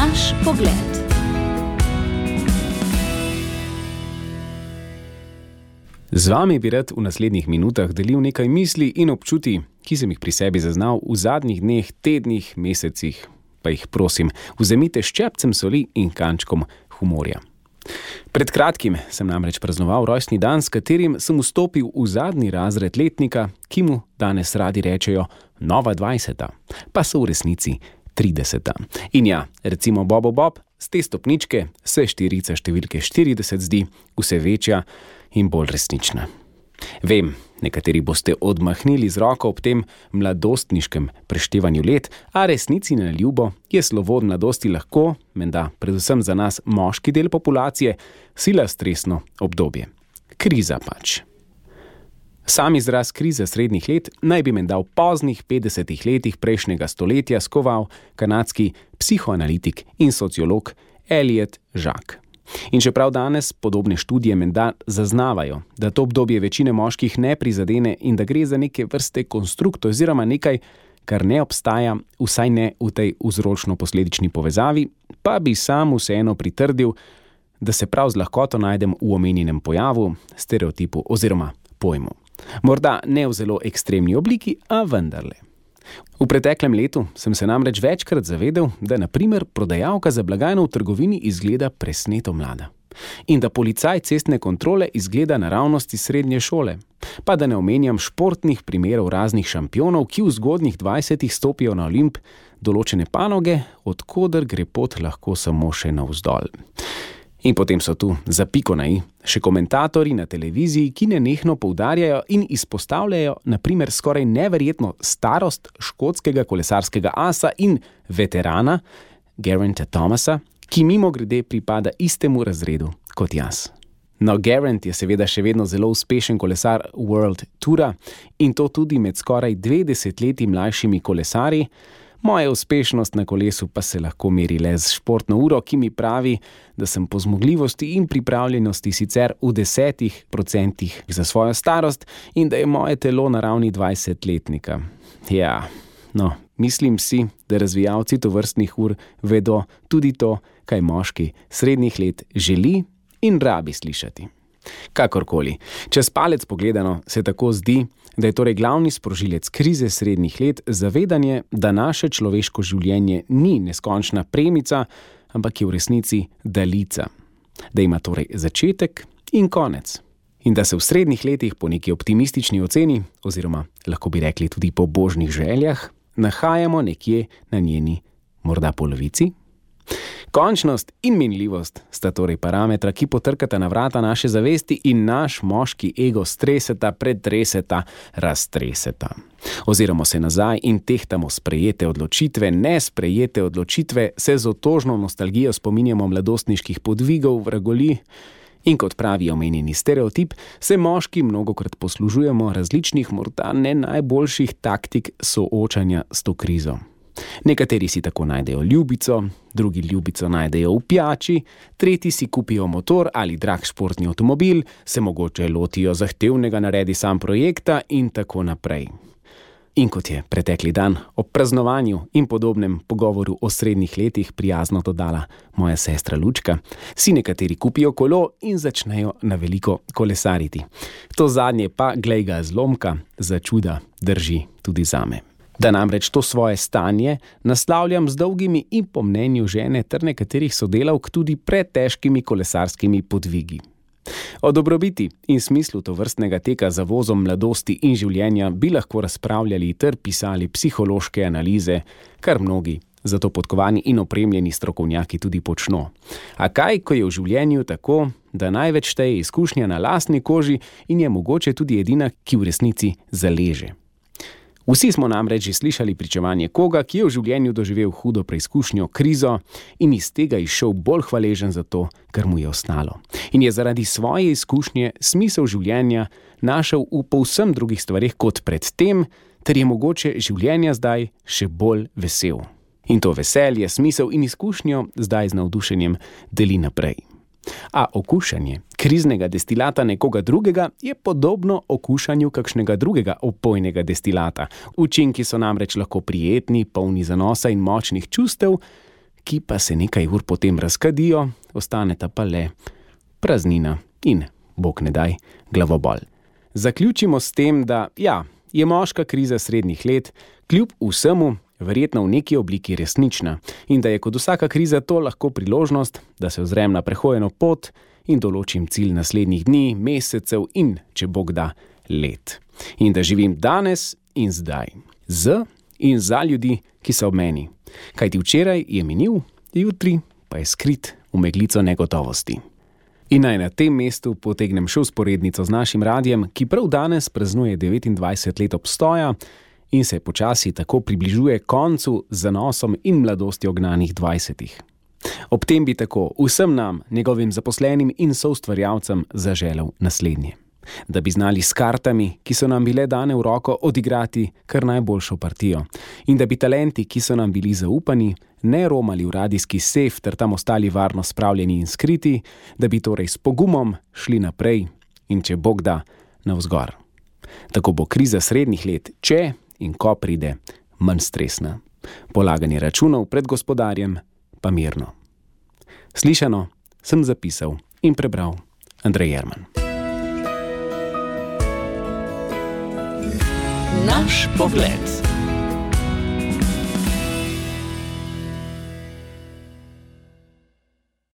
Naš pogled. Z vami bi rad v naslednjih minutah delil nekaj misli in občutij, ki sem jih pri sebi zaznal v zadnjih dneh, tednih, mesecih. Pa jih prosim, vzemite ščepcem soli in kančkom humorja. Pred kratkim sem namreč praznoval rojstni dan, s katerim sem vstopil v zadnji razred letnika, ki mu danes radi rečejo nova 20, pa so v resnici 30. In ja, recimo Bobo Bob, z te stopničke se štirica številke 40 zdi vse večja in bolj resnična. Vem, nekateri boste odmahnili z roko ob tem mladostniškem preštevanju let, a resnici na ljubo je slovo od mladosti lahko, menda predvsem za nas moški del populacije, sila stresno obdobje. Kriza pač. Sam izraz krize srednjih let naj bi menda v poznih 50 letih prejšnjega stoletja skoval kanadski psihoanalitik in sociolog Elliot Jaques. In čeprav danes podobne študije menda zaznavajo, da to obdobje večine moških ne prizadene in da gre za neke vrste konstrukt oziroma nekaj, kar ne obstaja, vsaj ne v tej vzročno-posledični povezavi, pa bi sam vseeno pritrdil, da se prav z lahkoto najdem v omenjenem pojavu, stereotipu oziroma pojmu. Morda ne v zelo ekstremni obliki, a vendarle. V preteklem letu sem se namreč večkrat zavedel, da na primer prodajalka za blagajno v trgovini izgleda presneto mlada. In da policaj cestne kontrole izgleda naravnost iz srednje šole. Pa da ne omenjam športnih primerov raznih šampionov, ki v zgodnjih 20-ih stopijo na Olimp določene panoge, od koder gre pot lahko samo še navzdol. In potem so tu za piko na i še komentatorji na televiziji, ki nenehno poudarjajo in izpostavljajo na primer skoraj neverjetno starost škotskega kolesarskega asa in veterana Gerainta Thomasa, ki mimogrede pripada istemu razredu kot jaz. No, Geraint je seveda še vedno zelo uspešen kolesar World Toura in to tudi med skoraj 2 desetletji mlajšimi kolesarji. Moja uspešnost na kolesu pa se lahko meri le z športno uro, ki mi pravi, da sem po zmogljivosti in pripravljenosti sicer v 10% za svojo starost in da je moje telo na ravni 20-letnika. Ja, no, mislim si, da razvijalci tovrstnih ur vedo tudi to, kaj moški srednjih let želi in rabi slišati. Kakorkoli, čez palec pogledano se tako zdi, da je torej glavni sprožilec krize srednjih let zavedanje, da naše človeško življenje ni neskončna premica, ampak je v resnici daljica. Da ima torej začetek in konec. In da se v srednjih letih po neki optimistični oceni, oziroma lahko bi rekli tudi po božjih željah, nahajamo nekje na njeni morda polovici. Končnost in minljivost sta torej parametra, ki potrkata na vrata naše zavesti in naš moški ego streseta, pretreseta, raztreseta. Oziramo se nazaj in tehtamo sprejete odločitve, nesprejete odločitve, se z otožno nostalgijo spominjamo mladostniških podvigov, vragoli in kot pravi omenjeni stereotip, se moški mnogokrat poslužujemo različnih, morda ne najboljših taktik soočanja s to krizo. Nekateri si tako najdejo ljubico, drugi ljubico najdejo v pijači, tretji si kupijo motor ali drag športni avtomobil, se mogoče lotijo zahtevnega naredi sam projekta in tako naprej. In kot je pretekli dan ob praznovanju in podobnem pogovoru o srednjih letih prijazno dodala moja sestra Lučka, si nekateri kupijo kolo in začnejo na veliko kolesariti. To zadnje pa, glej ga zlomka, za čuda drži tudi zame. Da namreč to svoje stanje naslavljam z dolgimi in po mnenju žene ter nekaterih sodelavk tudi pretežkimi kolesarskimi podvigi. O dobrobiti in smislu tovrstnega teka za vozom mladosti in življenja bi lahko razpravljali ter pisali psihološke analize, kar mnogi za to podkovani in opremljeni strokovnjaki tudi počno. A kaj, ko je v življenju tako, da največ šteje izkušnja na lastni koži in je mogoče tudi edina, ki v resnici zaleže. Vsi smo namreč že slišali pričevanje koga, ki je v življenju doživel hudo preizkušnjo, krizo in iz tega izšel bolj hvaležen za to, kar mu je ostalo. In je zaradi svoje izkušnje smisel življenja našel v povsem drugih stvareh kot pred tem, ter je mogoče življenja zdaj še bolj vesel. In to veselje, smisel in izkušnjo zdaj z navdušenjem deli naprej. A okušanje kriznega destilata nekoga drugega je podobno okušanju kakšnega drugega opojnega destilata. Učinki so namreč lahko prijetni, polni zanosa in močnih čustev, ki pa se nekaj ur potem razkadijo, ostaneta pa le praznina in, bog ne daj, glavobol. Zaključimo s tem, da je moška kriza srednjih let kljub vsemu verjetno v neki obliki resnična in da je kot vsaka kriza to lahko priložnost, da se ozrem na prehojeno pot in določim cilj naslednjih dni, mesecev in, če Bog da, let. In da živim danes in zdaj, z in za ljudi, ki so ob meni. Kajti včeraj je minil, jutri pa je skrit v meglico negotovosti. In naj na tem mestu potegnem še vzporednico z našim radiem, ki prav danes praznuje 29 let obstoja in se počasi tako približuje koncu z zanosom in mladostjo gnanih 20. Ob tem bi tako vsem nam, njegovim zaposlenim in soustvarjalcem zaželel naslednje. Da bi znali s kartami, ki so nam bile dane v roko, odigrati kar najboljšo partijo. In da bi talenti, ki so nam bili zaupani, ne romali v radijski sef ter tam ostali varno spravljeni in skriti, da bi torej s pogumom šli naprej in, če Bog da, navzgor. Tako bo kriza srednjih let, če in ko pride, manj stresna. Polaganje računov pred gospodarjem pa mirno. Slišano sem zapisal in prebral Andrej Jerman. Naš pogled.